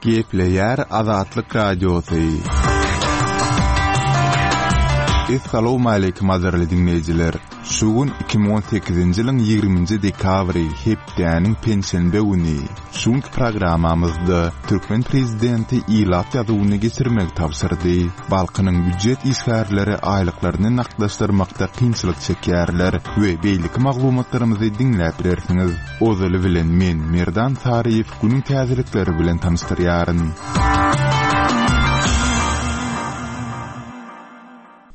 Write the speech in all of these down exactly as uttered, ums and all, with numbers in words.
Gepleýär Azatlyk Radiosy. Essalawmaleýkim gadyrly diňleýjiler! Şu gün iki müň on sekizinji ýylyň ýigriminji dekabry, hepdäniň penşenbe güni. Şu günki programmamyzda türkmen prezidenti ilat ýazuwyny geçirmegi tabşyrdy. Balkanyň býujet işgärleri aýlyklaryny nagtlaşdyrmakda kynçylyk çekýärler we beýleki maglumatlarymyzy diňläp bilersiňiz. Ozaly bilen men, Merdan Saryýew, günüň täzelikleri bilen tanyşdyrýaryn.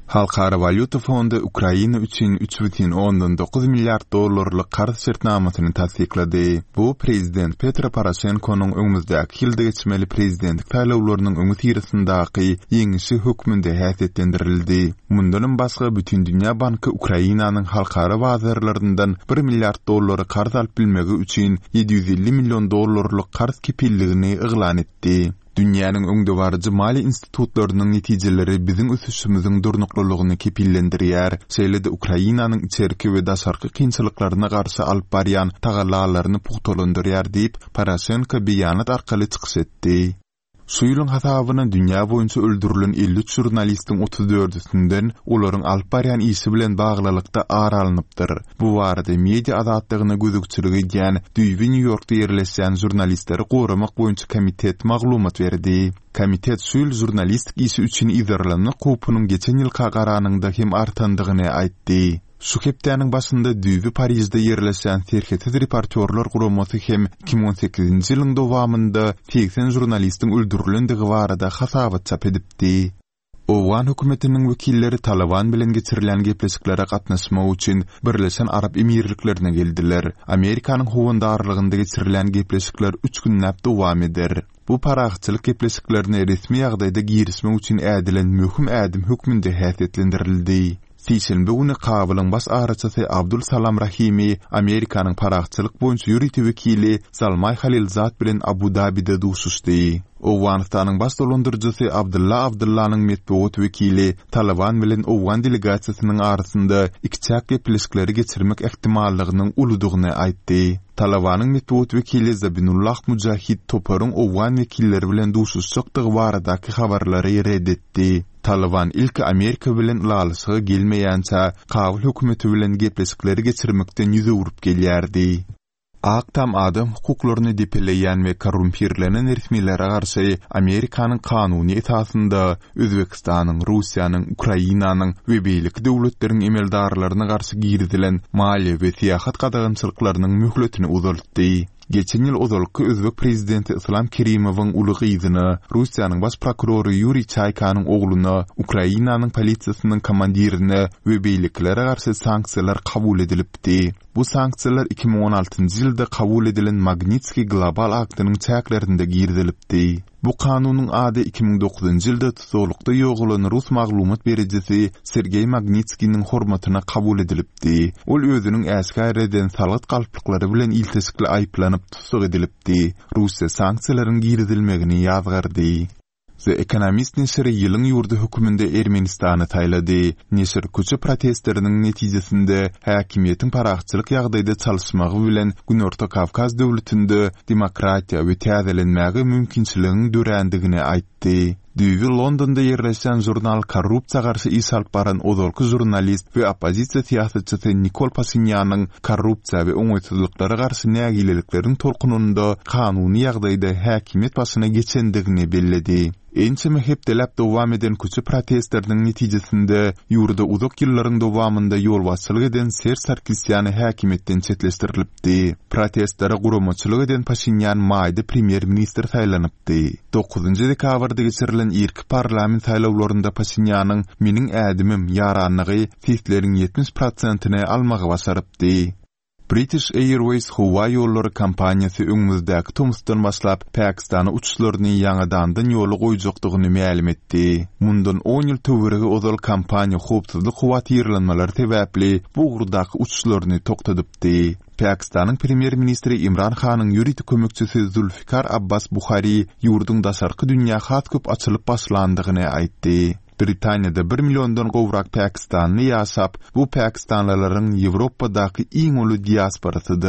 Halkara walýuta fondy Ukraina üçin üç bütin ondan dokuz milliard dollarlyk karz şertnamasyny tassyklady. Bu prezident Petro Poroşenkonyň öňümizdäki ýylda geçmeli prezidentlik saýlawlarynyň öňüsyrasyndaky ýeňişi hökmünde häsiýetlendirildi. Mundanam başga, Bütindünýä banky Ukrainanyň halkara bazarlaryndan bir milliard dollary karz alyp bilmegi üçin ýedi ýüz elli million dollarlyk karz kepilligini yglan etdi. Dünýäniň öňdebaryjy maliýe institutlarynyň netijeleri biziň ösüşimiziň durnuklylygyny kepillendirýär, şeýle-de Ukrainanyň içerki we daşarky kynçylyklaryna garşy alyp barýan tagallalaryny pugtalandyrýar diýip, Poroşenko beýanat arkaly çykyş etdi. Şu ýylyň hasabyna dünýä boýunça öldürilen elli üç žurnalistiň otuz dördüsinden olaryň alyp barýan işi bilen baglylykda ar alnypdyr. Bu barada media azatlygyna gözegçilik edýän düýbi Nýu-Ýorkda ýerleşýän Žurnalistleri goramak boýunça komitet maglumat berdi. Komitet şu ýyl žurnalistik işi üçin yzarlanmak howpunyň geçen ýylka garanyňda hem artandygyny aýtdy. Şu hepdäniň başynda düýbi Parižde ýerleşýän Serhetsiz reportýorlar guramasy hem iki müň on sekizinji ýylyň dowamynda segsen žurnalistiň öldürilendigi barada hasabat çap edipdi. Owgan hökümetiniň wekilleri Talyban bilen geçirilýän gepleşiklere gatnaşmak üçin Birleşen Arap Emirliklerine geldiler. Amerikanyň howandarlygynda geçirilýän gepleşikler üç günläp dowam eder. Bu parahatçylyk gepleşiklerine resmi ýagdaýda girişmek üçin ädilen möhüm ädim hökmünde häsiýetlendirildi. Sişenbe güni Kabulyň baş araçysy Abdul Salam Rahimi Amerikanyň parahatçylyk boýunça ýörite wekili Zalmaý Halilzad bilen Abu-Dabide duşuşdy. Owganystanyň baş dolandyryjysy Abdylla Abdyllanyň metbugat wekili Talyban bilen owgan delegasiýasynyň arasynda ikiçäk gepleşikleri geçirmek ähtimallygynyň uludygyny aýtdy. Talybanyň metbugat wekili Zabinullah Mujahid toparyň owgan wekilleri bilen duşuşjakdygy baradaky habarlary red etdi. Talyban ilki Amerika bilen ylalaşyga gelmeýänçä Kabul hökümeti bilen gepleşikleri geçirmekden ýüz öwrüp gelýärdi. Ak Tam adam hukuklaryny depeleýän we korrumpirlenen resmilere garşy Amerikanyň kanuny esasynda Özbegistanyň, Russiýanyň, Ukrainanyň we beýleki döwletleriň emeldarlaryna garşy girizilen maliýe we syýahat gadagançylyklarynyň möhletini uzaltdy. Geçen ýyl ozalky özbek prezidenti Yslam Kerimowyň uly gyzyna, Russiýanyň baş prokurory Ýuriý Çaýkanyň ogluna, Ukrainanyň polisiýasynyň komandirine we beýlekilere garşy sanksiýalar kabul edilipdi. Bu sanksiýalar iki müň on altynjy ýylda kabul edilen Magnitskiý global aktynyň çäklerinde girizilipdi. Bu kanunyň ady iki müň dokuzynjy ýylda tussaglykda ýogalan rus maglumat berijisi Sergeý Magnitskiniň hormatyna kabul edilipdi. Ol özüniň äşgär eden salgyt galplyklary bilen ilteşikli aýyplanyp tussag edilipdi. Russiýa sanksiýalaryň girizilmegini ýazgardy. The Economist neşiri ýylyň ýurdy hökmünde Ermenistany saýlady. Neşir köçe protestleriniň netijesinde häkimiýetiň parahatçylyk ýagdaýda çalyşmagy bilen Günorta Kawkaz döwletinde demokratiýa we täzelenmäge mümkinçiligiň dörändigini aýtdy. Düýbi Londonda ýerleşýän žurnal korrupsiýa garşy iş alyp baran ozalky žurnalist we oppozisiýa syýasatçysy Nikol Paşinýanyň korrupsiýa we oňaýsyzlyklara garşy nägilelikleriň tolkunynda kanuny ýagdaýda häkimiýet başyna geçendigini belledi. Ençeme hepdeläp dowam eden köçe protestleriniň netijesinde ýurda uzak ýyllaryň dowamynda ýolbaşçylyk eden Serž Sarkisýan häkimiýetden çetleşdirilipdi. Protestlere guramaçylyk eden Paşinýan maýda premýer-ministr saýlanypdy. Dokuzynjy dekabrda geçirilen irki parlament saýlawlarynda Paşinýanyň Meniň ädimim ýaranlygy sesleriň ýetmiş prosentini almagy başarypdy. British Airways howa ýollary kompaniýasy öňümizdäki tomusdan başlap Pakistana uçuşlaryny ýaňadandan ýola goýjakdygyny mälim etdi. Mundan on ýyl töweregi ozal kompaniýa howpsuzlyk howatyrlanmalary sebäpli bu ugurdaky uçuşlaryny togtadypdy. Pakistanyň premýer-ministri Imran Hanyň ýörite kömekçisi Zulfikar Abbas Buhari ýurduň daşarky dünýä has köp açylyp başlandygyny aýtdy. Britaniýada bir milliondan gowrak pakistanly ýaşap, bu pakistanlylaryň Ýewropadaky iň uly diasporasydyr.